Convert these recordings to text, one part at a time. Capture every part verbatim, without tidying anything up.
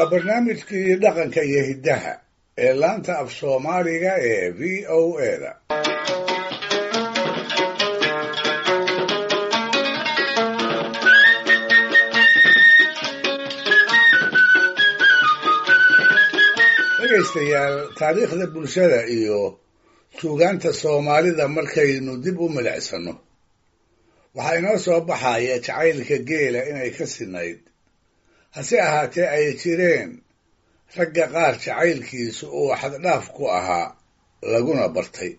Waa barnaamijkii dhaqanka iyo hiddaha ee laanta af Soomaaliga ee V O A da. Dhegaystayaal, taariikhda bulshada iyo suugaanta Soomaalida markaynu dib u milicsano, waxaa inoo soo baxaya jacaylka geela inay ka sinayd, hase ahaatee ay jireen ragga qaar jacaylkiisu uu xaddhaaf ku ahaa laguna bartay.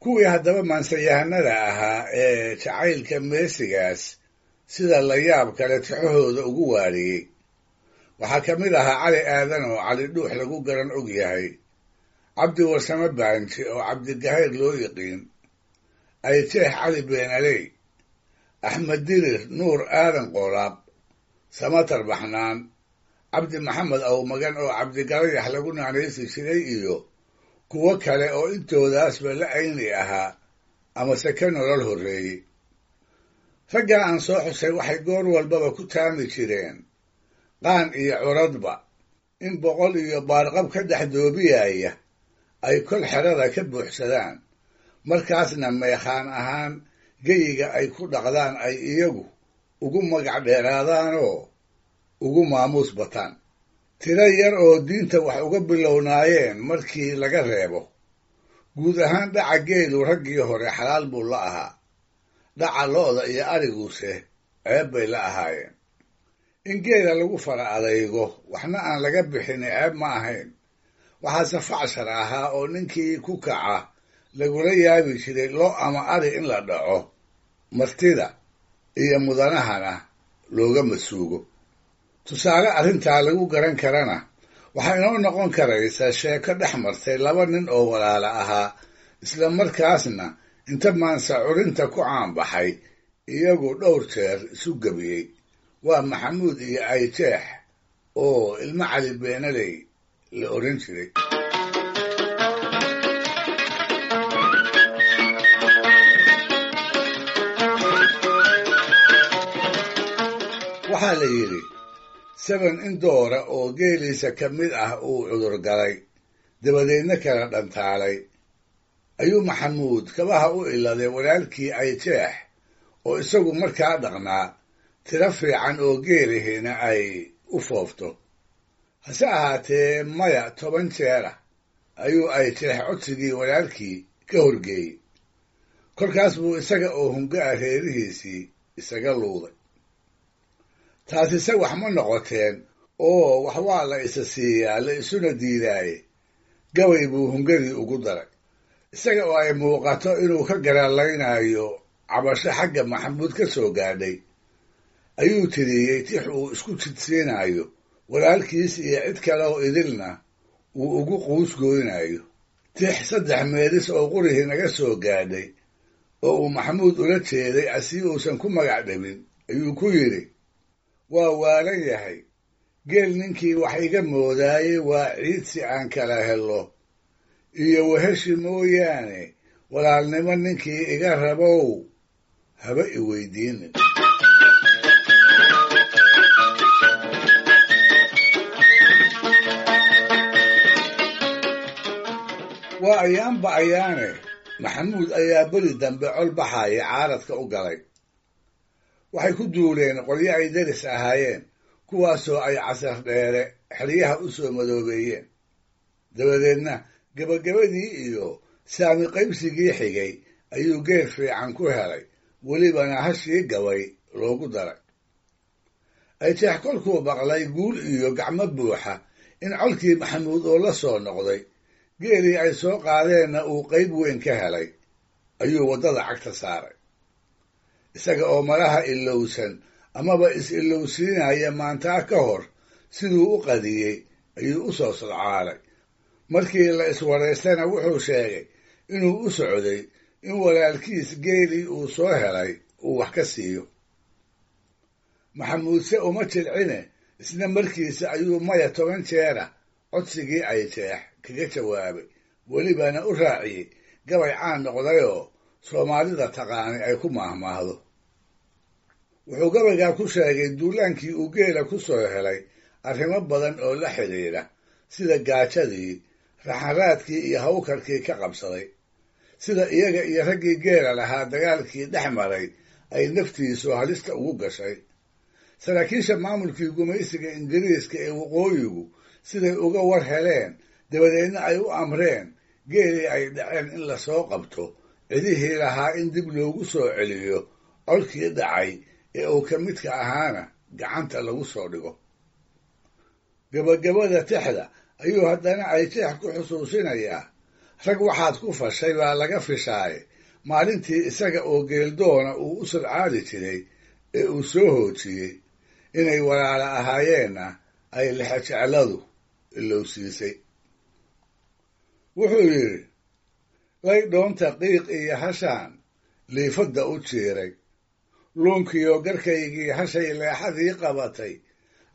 Kuwii haddaba maansayahanada ahaa ee jacaylka meesigaas sida layaab kale tixahooda ugu waariyey waxaa ka mid ahaa Cali Aadan oo Cali Dhuux lagu garan og yahay, Cabdi Warsame Baanji oo Cabdigahayr loo yiqiin, Ayjeex Cali Beenaley, Axmed Dirir Nuur Aadan Qoolaab, Samatar Baxnaan, Cabdi Maxamed Awmagan oo Cabdigalayax lagu naanaysi jiray iyo kuwo kale oo intoodaasba la ayni ahaa amase ka nolol horreeyey. Raggaa aan soo xusay waxay goor walbaba ku taami jireen qaan iyo curadba in boqol iyo baarqab ka dhex doobiyaya ay kol xerada ka buuxsadaan, markaasna meekhaan ahaan geyiga ay ku dhaqdaan ay iyagu ugu magac dheeraadaanoo ugu maamuus bataan. Tiro yar oo diinta wax uga bilownaayeen markii laga reebo, guud ahaan dhaca geelu raggii hore xalaal buu la ahaa, dhaca lo'da iyo ariguse ceeb bay la ahaayeen. In geela lagu fara adaygo waxna aan laga bixin ceeb ma ahayn, waxaase facshar ahaa oo ninkii ku kaca lagula yaabi jiray lo ama ari in la dhaco, martida iyo mudanahana looga masuugo. Tusaale arrintaa lagu garan karana waxaa inoo noqon karaysa sheeko dhex martay laba nin oo walaala ahaa, isla markaasna inta maansa curinta ku caanbaxay iyagu dhowr jeer isu gebiyey. Waa Maxamuud iyo Ayjeex oo ilmo Cali Beenaley la oran jiray. Waxaa la yidhi seben in doora oo geeliisa ka mid ah uu cudur galay, dabadeedna kala dhantaalay, ayuu Maxamuud kabaha u iladay walaalkii Ayjeex oo isagu markaa dhaqnaa tiro fiican oo geelihina ay u foofto. Hase ahaatee maya toban jeera ayuu Ayjeex codsigii walaalkii ka horgeeyey. Kolkaas buu isaga oo hunga-a reerihiisii isaga luuday. Taasise wax ma noqoteen oo wax waa la isa siiyaa la isuna diidaaye, gabay buu hungadii ugu daray, isaga oo ay muuqato inuu ka garaalaynayo cabasho xagga Maxamuud ka soo gaadhay. Ayuu tiriyey tix uu isku jidsiinayo walaalkiis iyo cid kale oo idilna uu ugu quusgoynayo. Tix saddex meelis oo qurihii naga soo gaadhay oo uu Maxamuud ula jeeday asii uusan ku magac dhabin ayuu ku yidhi: waa waalan yahay geel ninkii wax iga moodaayey, waa ciidsi aan kala helo iyo weheshi mooyaane, walaalnimo ninkii iga rabow haba i weydiinin. Waa ayaanba ayaane Maxamuud ayaa beri dambe col baxaya caaradka u galay. Waxay ku duuleen qolyo ay deris ahaayeen, kuwaasoo ay casar dheere xeryaha u soo madoobeeyeen. Dabadeedna gebagabadii iyo saami qaybsigii xigay ayuu geel fiican ku helay, welibana hashii gabay loogu daray. Ayjeex kolkuu maqlay guul iyo gacmo buuxa in colkii Maxamuud oo la soo noqday, geelii ay soo qaadeenna uu qayb weyn ka helay, ayuu waddada cagta saaray. Isaga oo malaha ilowsan amaba is-ilowsiinaya maantaa ka hor siduu u qadiyey ayuu u soo sodcaalay. Markii la iswaraystana wuxuu sheegay inuu u socday in walaalkiis geelii uu soo helay uu wax ka siiyo. Maxamuudse uma jilcine, isna markiisa ayuu maya toban jeera codsigii Ayjeex kaga jawaabay, welibana u raaciyey gabay caan noqdayoo Soomaalida taqaanay ay ku maahmaahdo. Wuxuu gabaygaa ku sheegay duulaankii uu geela ku soo helay arrimo badan oo la xidhiidha, sida gaajadii, raxanraadkii iyo hawkarkii ka qabsaday, sida iyaga iyo raggii geela lahaa dagaalkii dhex maray ay naftiisu halista ugu gashay, saraakiisha maamulkii gumaysiga Ingiriiska ee waqooyigu siday uga war heleen, dabadeedna ay u amreen geelii ay dhaceen in lasoo qabto, cidihii lahaa in dib loogu soo celiyo, colkii dhacay ee uu ka midka ahaana gacanta lagu soo dhigo. Gabagabada tixda ayuu haddana Ayjeex ku xusuusinayaa rag waxaad ku fashay baa laga fishaaye maalintii isaga oo geeldoona uu u sodcaali jiray ee uu soo hoojiyey, inay walaala ahaayeenna ay lexejecladu ilowsiisay. Wuxuu yidhi, laydhoonta qiiq iyo hashaan liifadda u jiiray, luunkiyo garkaygii hashay leexadii qabatay,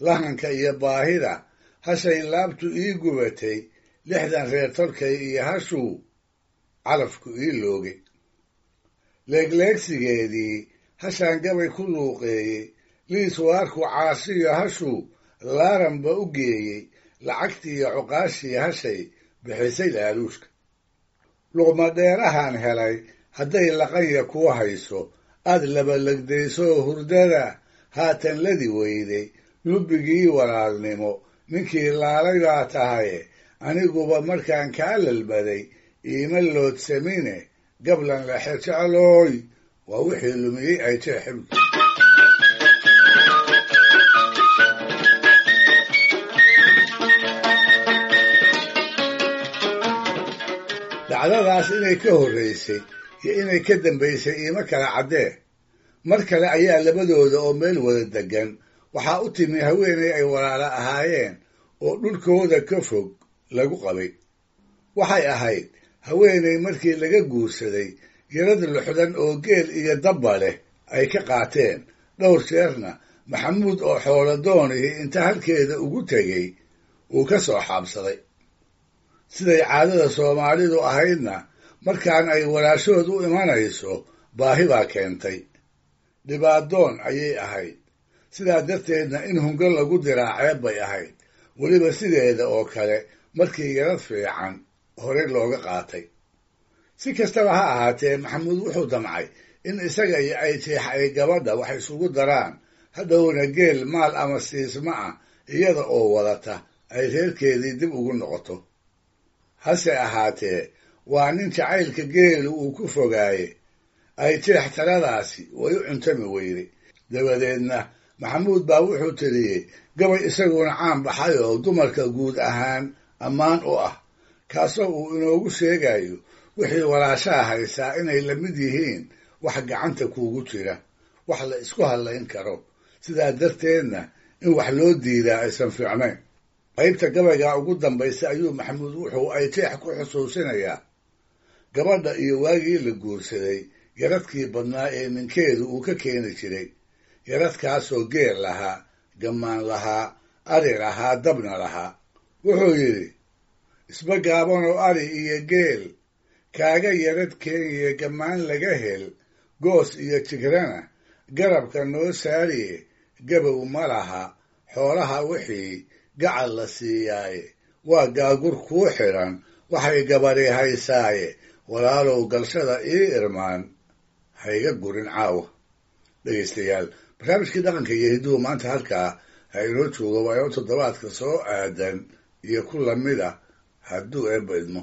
lahanka iyo baahida hashay laabtu ii gubatay, lixdan reer tolkay iyo hashuu calafku ii loogay. Leegleegsigeedii hashaan gabay ku luuqeeyey, liis waarku caashiyo hashuu laaranba u geeyey, lacagtiiyo cuqaashii hashay bixisay laaluushka. Luqmadheerahan helay hadday laqanya kuu hayso, aad labalagdaysoo hurdada haatan ladi weyday, lubbigii walaalnimo ninkii laalay baa tahaye, aniguba markaan kaa lalbaday iima loodsamine, gablan lexe jeclooy waa wixii lumiyey Ayjeex. Dhacdadaas inay ka horraysay iyo inay ka dambaysay iima kala caddee. Mar kale ayaa labadooda oo meel wada deggan waxaa u timi haweenay ay walaalo ahaayeen oo dhulkooda ka fog lagu qabay. Waxay ahayd haweenay markii laga guursaday yarad luxdan oo geel iyo dabba leh ay ka qaateen, dhowr jeerna Maxamuud oo xooladoonihii inta halkeeda ugu tegey uu ka soo xaabsaday. Siday caadada Soomaalidu ahaydna, markaan ay walaashood u imanayso baahi baa keentay, dhibaadoon ayay ahayd, sidaa darteedna in hungo lagu diraa ceeb bay ahayd, weliba sideeda oo kale markii yarad fiican horey looga qaatay. Si kastaba ha ahaatee, Maxamuud wuxuu damcay in isaga iyo Ayjeex ay gabadha wax isugu daraan, hadhowna geel maal ama siisma ah iyada oo wadata ay reerkeedii dib ugu noqoto. Hase ahaatee, waa nin jacaylka geelu uu ku fogaaye, Ayjeex taladaasi way u cuntami weyday. Dabadeedna Maxamuud baa wuxuu tiriyey gabay isaguna caan baxay oo dumarka guud ahaan ammaan u ah, kaasoo uu inoogu sheegayo wixii walaashaha haysaa inay la mid yihiin wax gacanta kuugu jira, wax la isku hadlayn karo, sidaa darteedna in wax loo diidaa aysan fiicnayn. Qaybta gabaygaa ugu dambaysa ayuu Maxamuud wuxuu Ayjeex ku xusuusinayaa gabadha iyo waagii la guursaday yaradkii badnaa ee ninkeedu uu ka keeni jiray, yaradkaasoo geel lahaa, gammaan lahaa, ari lahaa, dabna lahaa. Wuxuu yidhi, isba gaabanoo ari iyo geel kaaga yarad keeniye, gammaan laga hel, goos iyo jigrana garabka noo saariye, gabow ma laha xoolaha wixii gacal la siiyaaye, waa gaagur kuu xidhan waxay gabadhi haysaaye, walaalow galshada ii irmaan hayga gurin caawa. Dhegaystayaal, barnaamijkii dhaqanka iyo hidduhu maanta halkaa ha inoo joogo, waa inoo toddobaadka soo aadan iyo ku lamid ah hadduu Eebba idmo.